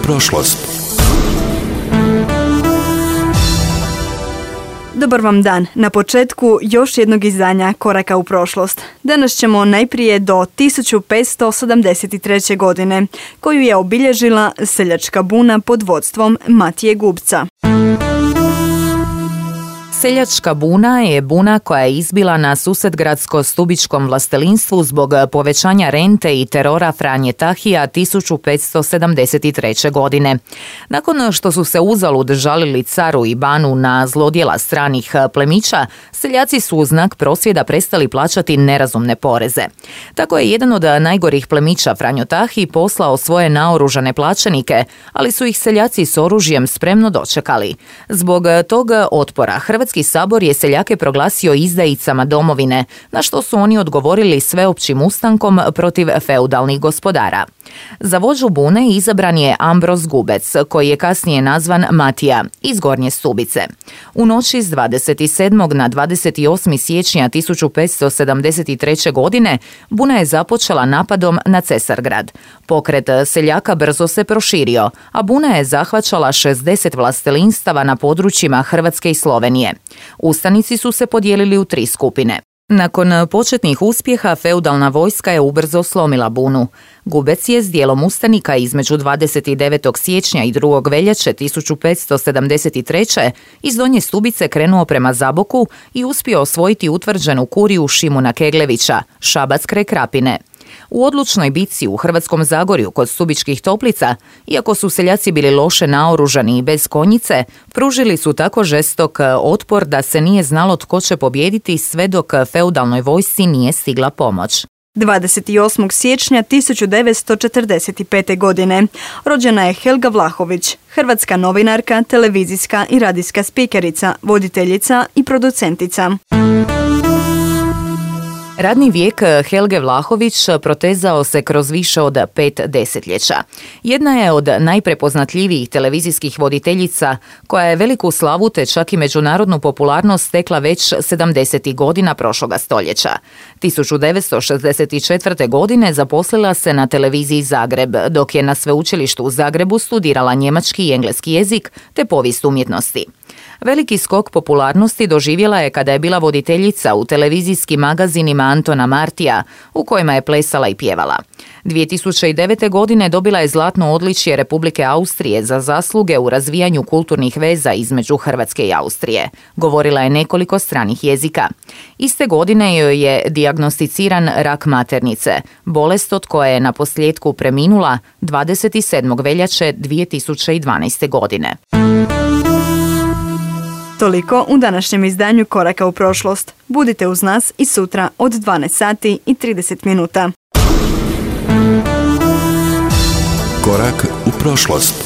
prošlost. Dobar vam dan. Na početku još jednog izdanja Koraka u prošlost. Danas ćemo najprije do 1573. godine, koju je obilježila seljačka buna pod vodstvom Matije Gubca. Seljačka buna je buna koja je izbila na Susedgradsko-Stubičkom vlastelinstvu zbog povećanja rente i terora Franje Tahija 1573. godine. Nakon što su se uzalud žalili caru i banu na zlodjela stranih plemića, seljaci su u znak prosvjeda prestali plaćati nerazumne poreze. Tako je jedan od najgorih plemića Franjo Tahi poslao svoje naoružane plaćenike, ali su ih seljaci s oružjem spremno dočekali. Zbog tog otpora Hrvatski sabor je seljake proglasio izdajicama domovine, na što su oni odgovorili sveopćim ustankom protiv feudalnih gospodara. Za vođu bune izabran je Ambroz Gubec, koji je kasnije nazvan Matija, iz Gornje Stubice. U noći s 27. na 28. siječnja 1573. godine buna je započela napadom na Cesargrad. Pokret seljaka brzo se proširio, a buna je zahvaćala 60 vlastelinstava na područjima Hrvatske i Slovenije. Ustanici su se podijelili u 3 skupine. Nakon početnih uspjeha, feudalna vojska je ubrzo slomila bunu. Gubec je s dijelom ustanika između 29. siječnja i 2. veljače 1573. iz Donje Stubice krenuo prema Zaboku i uspio osvojiti utvrđenu kuriju Šimuna Keglevića, Šabac kraj Krapine. U odlučnoj bitci u Hrvatskom Zagorju kod Stubičkih Toplica, iako su seljaci bili loše naoružani i bez konjice, pružili su tako žestok otpor da se nije znalo tko će pobijediti sve dok feudalnoj vojsci nije stigla pomoć. 28. siječnja 1945. godine rođena je Helga Vlahović, hrvatska novinarka, televizijska i radijska spikerica, voditeljica i producentica. Radni vijek Helge Vlahović protezao se kroz više od 5 desetljeća. Jedna je od najprepoznatljivijih televizijskih voditeljica koja je veliku slavu te čak i međunarodnu popularnost stekla već 70. godina prošloga stoljeća. 1964. godine zaposlila se na televiziji Zagreb, dok je na sveučilištu u Zagrebu studirala njemački i engleski jezik te povijest umjetnosti. Veliki skok popularnosti doživjela je kada je bila voditeljica u televizijskim magazinima Antona Martija, u kojima je plesala i pjevala. 2009. godine dobila je zlatno odličje Republike Austrije za zasluge u razvijanju kulturnih veza između Hrvatske i Austrije. Govorila je nekoliko stranih jezika. Iste godine joj je dijagnosticiran rak maternice, bolest od koje je naposljetku preminula 27. veljače 2012. godine. Toliko u današnjem izdanju Koraka u prošlost. Budite uz nas i sutra od 12 sati i 30 minuta. Korak u prošlost.